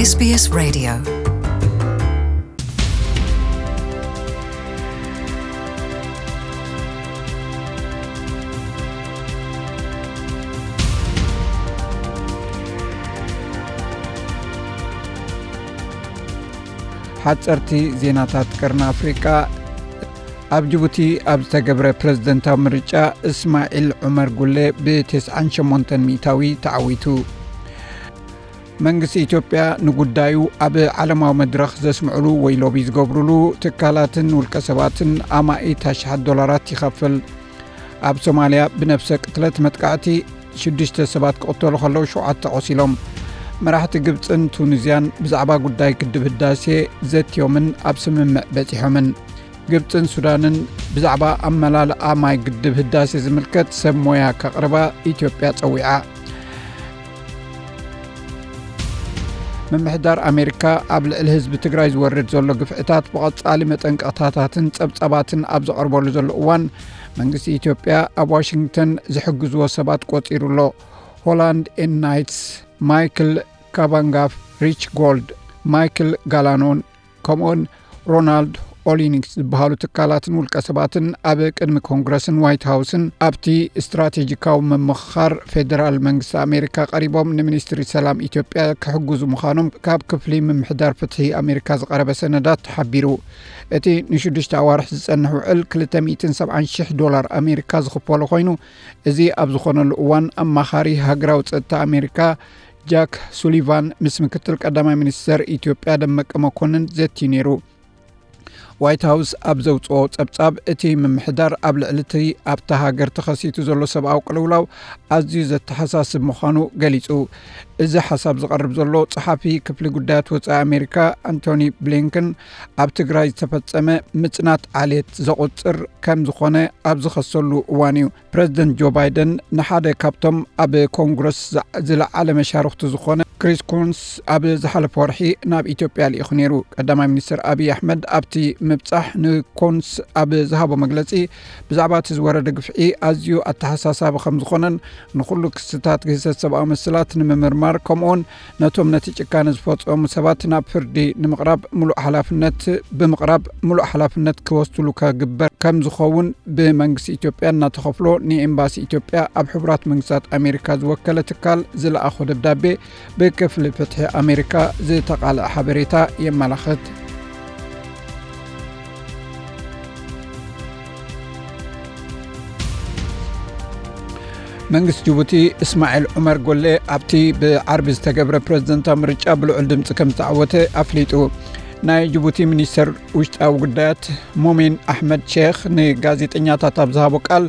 S B S Radio. ሓጸርቲ ዜናታት ቀርኒ ኣፍሪቃ። ኣብ ጅቡቲ ኣብ ዝተገብረ ፕረዚደንታዊ ምርጫ እስማዒል ዑመር ጉሌ ብተስዓን ሸሞንተን ሚእታዊ ተዓዊቱ። መንግስቲ ኢትዮጵያ ንጉዳዩ ኣብ ዓለማዊ መድረኽ ዘስምዕሉ ወይ ሎቢ ዝገብሩሉ ትካላትን ውልቀ ሰባትን ኣማኢት ኣሽሓት ዶላራት ይኸፍል። ኣብ ሶማልያ ብነፍሰ ቅትለት መጥቃዕቲ ሽዱሽተ ሰባት ክቕተሉ ከለዉ ሸውዓተ ቆሲሎም። መራሕቲ ግብጽን ቱኒዝያን ብዛዕባ ጉዳይ ግድብ ህዳሴ ዘትዮምን ኣብ ስምምዕ በጺሖምን። ግብጽን ሱዳንን ብዛዕባ ኣመላልኣ ማይ ግድብ ህዳሴ ዝምልከት ሰብ ሞያ ከቕርባ ኢትዮጵያ ጸዊዓ። ምምሕዳር ኣሜሪካ ኣብ ልዕሊ ህዝቢ ትግራይ ዝወርድ ዘሎ ግፍዕታት ብቐጻሊ መጠንቀቕታታትን ጸብጻባትን ኣብ ዘቐርበሉ ዘሎ እዋን፣ መንግስቲ ኢትዮጵያ ኣብ ዋሽንግተን ዝሕግዝዎ ሰባት ቆጺሩ ኣሎ። ሆላንድ ኤን ናይትስ፣ ማይክል ካባንጋፍ፣ ሪች ጎልድ፣ ማይክል ጋላኖን ከምኡውን ሮናልድ ኦሊኒክስ ዝበሃሉ ትካላትን ውልቀ ሰባትን ኣብ ቅድሚ ኮንግረስን ዋይት ሃውስን ኣብቲ ስትራቴጂካዊ ምምኽኻር ፌደራል መንግስቲ ኣሜሪካ ቀሪቦም፣ ንሚኒስትሪ ሰላም ኢትዮጵያ ክሕግዙ ምዃኖም ካብ ክፍሊ ምምሕዳር ፍትሒ ኣሜሪካ ዝቐረበ ሰነዳት ሓቢሩ። እቲ ንሽዱሽተ ኣዋርሕ ዝጸንሕ ውዕል ክልተ ሚእትን ሰብዓን ሽሕ ዶላር ኣሜሪካ ዝኽፈሎ ኮይኑ፣ እዚ ኣብ ዝኾነሉ እዋን፣ ኣማኻሪ ሃገራዊ ጸጥታ ኣሜሪካ ጃክ ሱሊቫን ምስ ምክትል ቀዳማይ ሚኒስተር ኢትዮጵያ ደመቀ መኮንን ዘትዩ ነይሩ። ዋይት ሃውስ ኣብ ዘውጽኦ ጸብጻብ፣ እቲ ምምሕዳር ኣብ ልዕሊ እቲ ኣብታ ሃገር ተኸሲቱ ዘሎ ሰብኣዊ ቅልውላው ኣዝዩ ዘተሓሳስብ ምዃኑ ገሊጹ። እዚ ሓሳብ ዝቐርብ ዘሎ፣ ጸሓፊ ክፍሊ ጉዳያት ወጻኢ ኣሜሪካ ኣንቶኒ ብሊንከን፣ ኣብ ትግራይ ዝተፈጸመ ምጽናት ዓሌት ዘቑጽር ከም ዝኾነ ኣብ ዝኸሰሉ እዋን እዩ። ፕረዚደንት ጆ ባይደን ንሓደ ካብቶም ኣብ ኮንግረስ ዝዓ-፣ ዝለዓለ መሻርኽቱ ዝኾነ ክሪስ ኩንስ ኣብ ዝሓለፈ ወርሒ ናብ ኢትዮጵያ ልኢኹ ነይሩ። ቀዳማይ ሚኒስትር ኣብይ ኣሕመድ ኣብቲ ምብጻሕ ንኩንስ ኣብ ዝሃቦ መግለጺ፣ ብዛዕባ እቲ ዝወረደ ግፍዒ ኣዝዩ ኣተሓሳሳቢ ከም ዝኾነን ንኹሉ ክስታት ግህሰት ሰብኣዊ መሰላት ንምምርማር፣ ከምኡውን ነቶም ነቲ ጭካነ ዝፈጸሙ ሰባት ናብ ፍርዲ ንምቕራብ ምሉእ ሓላፍነት፣ ብምቕራብ ምሉእ ሓላፍነት ክወስድሉ ከግበር ከም ዝኸውን ብመንግስቲ ኢትዮጵያ እናተኸፍሎ ንኤምባሲ ኢትዮጵያ ኣብ ሕቡራት መንግስታት ኣሜሪካ ዝወከለ ትካል ዝለኣኾ ደብዳቤ ብክፍሊ ፍትሒ ኣሜሪካ ዝተቓልዐ ሓበሬታ የመላኽት። መንግስቲ ጅቡቲ እስማዒል ዑመር ጎሌ ኣብቲ ብዓርቢ ዝተገብረ ፕረዚደንታዊ ምርጫ ብልዑል ድምፂ ከም ዝተዓወተ ኣፍሊጡ። ናይ ጅቡቲ ሚኒስተር ውሽጣዊ ጉዳያት ሙሚን ኣሕመድ ሼኽ ንጋዜጠኛታት ኣብ ዝሃቦ ቃል፣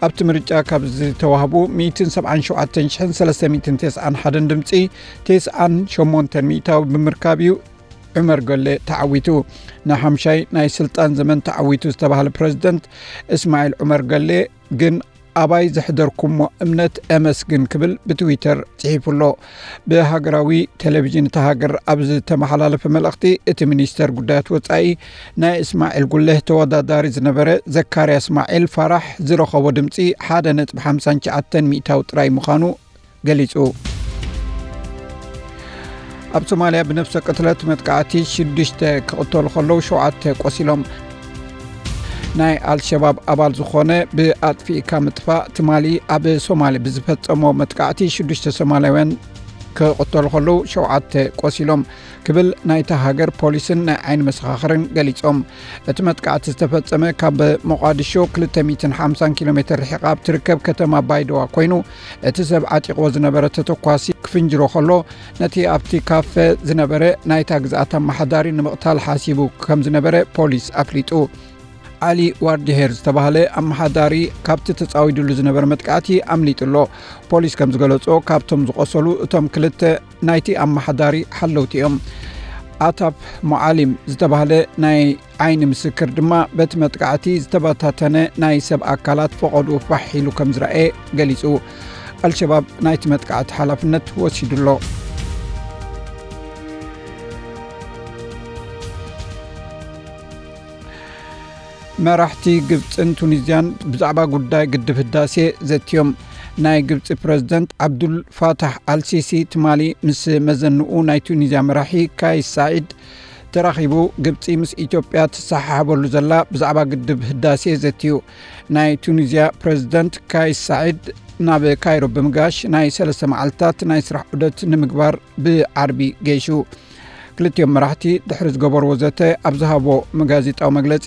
ኣብቲ ምርጫ ካብ ዝተዋህቡ ሚእትን ሰብዓን ሸውዓተን ሽሕን ሰለስተ ሚእትን ተስዓን ሓደን ድምፂ፣ ተስዓን ሸሞንተን ሚእታዊ ብምርካብ እዩ ዑመር ጎሌ ተዓዊቱ። ንሓምሻይ ናይ ስልጣን ዘመን ተዓዊቱ ዝተባህለ ፕረዚደንት እስማዒል ዑመር ጎሌ ግን፣ ኣባይ ዘሕደርኩሞ እምነት እመስግን ክብል ብትዊተር ጽሒፉ ኣሎ። ብሃገራዊ ቴሌቪዥን እታ ሃገር ኣብ ዝተመሓላለፈ መልእኽቲ፣ እቲ ሚኒስተር ጉዳያት ወጻኢ ናይ እስማዒል ጉሌህ ተወዳዳሪ ዝነበረ ዘካርያ እስማዒል ፋራሕ ዝረኸቦ ድምጺ ሓደ ነጥቢ ሓምሳን ትሽዓተን ሚእታዊ ጥራይ ምዃኑ ገሊጹ። ኣብ ሶማልያ ብነፍሰ ቅትለት መጥቃዕቲ ሽዱሽተ ክቕተሉ ከለዉ ሸውዓተ ቆሲሎም። ናይ ኣልሸባብ ኣባል ዝኾነ ብኣጥፊእካ ምጥፋእ ትማሊ ኣብ ሶማሊ ብዝፈጸሞ መጥቃዕቲ ሽዱሽተ ሶማላውያን ክቕተሉ ከለዉ ሸውዓተ ቆሲሎም ክብል ናይታ ሃገር ፖሊስን ናይ ዓይኒ መሰኻኽርን ገሊጾም። እቲ መጥቃዕቲ ዝተፈጸመ ካብ ሞቓዲሾ ክልተ ሚእትን ሓምሳን ኪሎ ሜትር ርሒቓ ኣብ ትርከብ ከተማ ባይደዋ ኮይኑ፣ እቲ ሰብ ዓጢቕዎ ዝነበረ ተተኳሲ ክፍንጅሮ ከሎ፣ ነቲ ኣብቲ ካፈ ዝነበረ ናይታ ግዝኣት ኣመሓዳሪ ንምቕታል ሓሲቡ ከም ዝነበረ ፖሊስ ኣፍሊጡ። ዓሊ ዋርዲሄር ዝተባህለ ኣመሓዳሪ ካብቲ ተጻዊዱሉ ዝነበረ መጥቃዕቲ ኣምሊጡ ኣሎ። ፖሊስ ከም ዝገለጾ፣ ካብቶም ዝቖሰሉ እቶም ክልተ ናይቲ ኣመሓዳሪ ሓለውቲ እዮም። ኣታፍ ሞዓሊም ዝተባህለ ናይ ዓይኒ ምስክር ድማ፣ በቲ መጥቃዕቲ ዝተበታተነ ናይ ሰብ ኣካላት ፈቐድኡ ፋሕ ኢሉ ከም ዝረኣየ ገሊጹ። ኣልሸባብ ናይቲ መጥቃዕቲ ሓላፍነት ወሲዱ ኣሎ። መራሕቲ ግብጽን ቱኒዝያን ብዛዕባ ጉዳይ ግድብ ህዳሴ ዘትዮም። ናይ ግብፂ ፕረዚደንት ዓብዱል ፋታሕ ኣልሲሲ ትማሊ ምስ መዘንኡ ናይ ቱኒዝያ መራሒ ካይስ ሳዒድ ተራኺቡ፣ ግብፂ ምስ ኢትዮጵያ ትሰሓሓበሉ ዘላ ብዛዕባ ግድብ ህዳሴ ዘትዩ። ናይ ቱኒዝያ ፕረዚደንት ካይስ ሳዒድ ናብ ካይሮ ብምጋሽ ናይ ሰለስተ መዓልታት ናይ ስራሕ ዑደት ንምግባር ብዓርቢ ገይሹ። ክልቲኦም መራሕቲ ድሕሪ ዝገበርዎ ዘተ ኣብ ዝሃቦ መጋዜጣዊ መግለጺ፣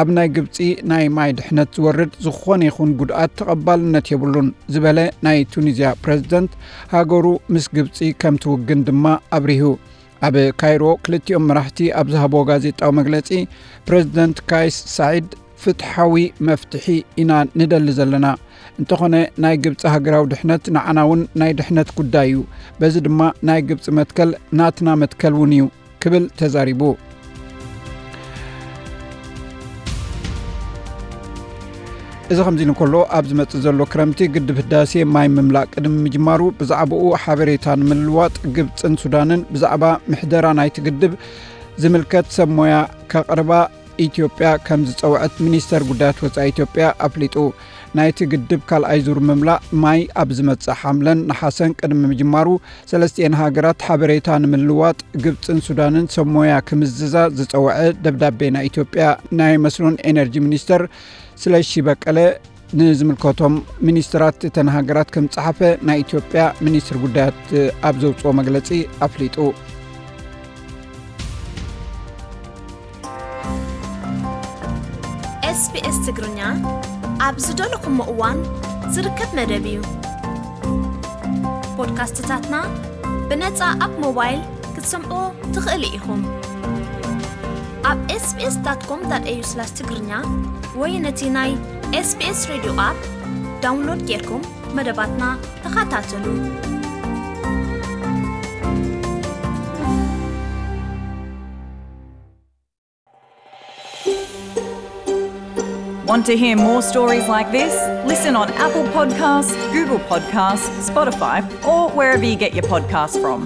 ኣብ ናይ ግብጺ ናይ ማይ ድሕነት ዝወርድ ዝኾነ ይኹን ጉድኣት ተቐባልነት የብሉን ዝበለ ናይ ቱኒዝያ ፕረዚደንት፣ ሃገሩ ምስ ግብጺ ከም ትውግን ድማ ኣብሪሁ። ኣብ ካይሮ ክልቲኦም መራሕቲ ኣብ ዝሃቦ ጋዜጣዊ መግለጺ፣ ፕረዚደንት ካይስ ሳዒድ፣ ፍትሓዊ መፍትሒ ኢና ንደሊ ዘለና። እንተኾነ ናይ ግብጺ ሃገራዊ ድሕነት ንዓና እውን ናይ ድሕነት ጉዳይ እዩ። በዚ ድማ ናይ ግብጺ መትከል ናትና መትከል እውን እዩ ክብል ተዛሪቡ። እዚ ከምዚ ኢሉ እንከሎ፣ ኣብ ዝመጽእ ዘሎ ክረምቲ ግድብ ህዳሴ ማይ ምምላእ ቅድሚ ምጅማሩ ብዛዕባኡ ሓበሬታ ንምልዋጥ ግብጽን ሱዳንን ብዛዕባ ምሕደራ ናይቲ ግድብ ዝምልከት ሰብ ሞያ ከቕርባ ኢትዮጵያ ከም ዝጸውዐት ሚኒስተር ጉዳያት ወጻኢ ኢትዮጵያ ኣፍሊጡ። ናይቲ ግድብ ካልኣይ ዙር ምምላእ ማይ ኣብ ዝመጽእ ሓምለን ነሓሰን ቅድሚ ምጅማሩ፣ ሰለስቲኤን ሃገራት ሓበሬታ ንምልዋጥ ግብጽን ሱዳንን ሰብ ሞያ ክምዝዛ ዝጸውዐ ደብዳቤ ናይ ኢትዮጵያ ናይ መስኖን ኤነርጂ ሚኒስተር ስለሺ በቀለ ንዝምልከቶም ሚኒስትራት እተን ሃገራት ከም ጸሓፈ ናይ ኢትዮጵያ ሚኒስትር ጉዳያት ኣብ ዘውጽኦ መግለጺ ኣፍሊጡ። ኤስቢኤስ ትግርኛ ኣብ ዝደለኹሞ እዋን ዝርከብ መደብ እዩ። ፖድካስትታትና ብነጻ ኣብ ሞባይል ክትሰምዑ ትኽእሉ ኢኹም። ኣብ ኤስቢኤስ ዳት ኮም ዳት ኤዩ ስላሽ ትግርኛ ወይ ነቲ ናይ ኤስቢኤስ ሬድዮ ኣፕ ዳውንሎድ ጌርኩም መደባትና ተኸታተሉ። Want to hear more stories like this? Listen on Apple Podcasts, Google Podcasts, Spotify, or wherever you get your podcasts from.